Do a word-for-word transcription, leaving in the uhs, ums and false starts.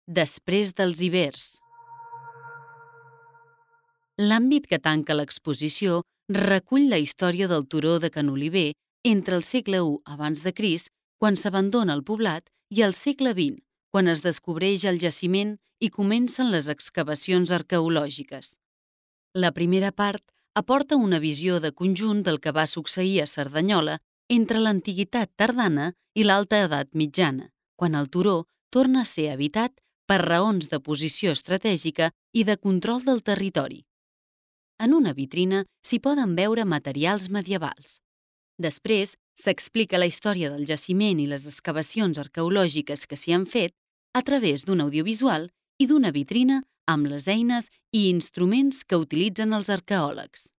Després dels ibers. L'àmbit que tanca l'exposició recull la història del turó de Can Oliver entre el segle u abans de Crist, quan s'abandona el poblat, i el segle vint, quan es descobreix el jaciment i comencen les excavacions arqueològiques. La primera part aporta una visió de conjunt del que va succeir a Cerdanyola entre l'antiguitat tardana i l'alta edat mitjana, quan el turó torna a ser habitat per raons de posició estratègica i de control del territori. En una vitrina s'hi poden veure materials medievals. Després s'explica la història del jaciment i les excavacions arqueològiques que s'hi han fet a través d'un audiovisual i d'una vitrina amb les eines i instruments que utilitzen els arqueòlegs.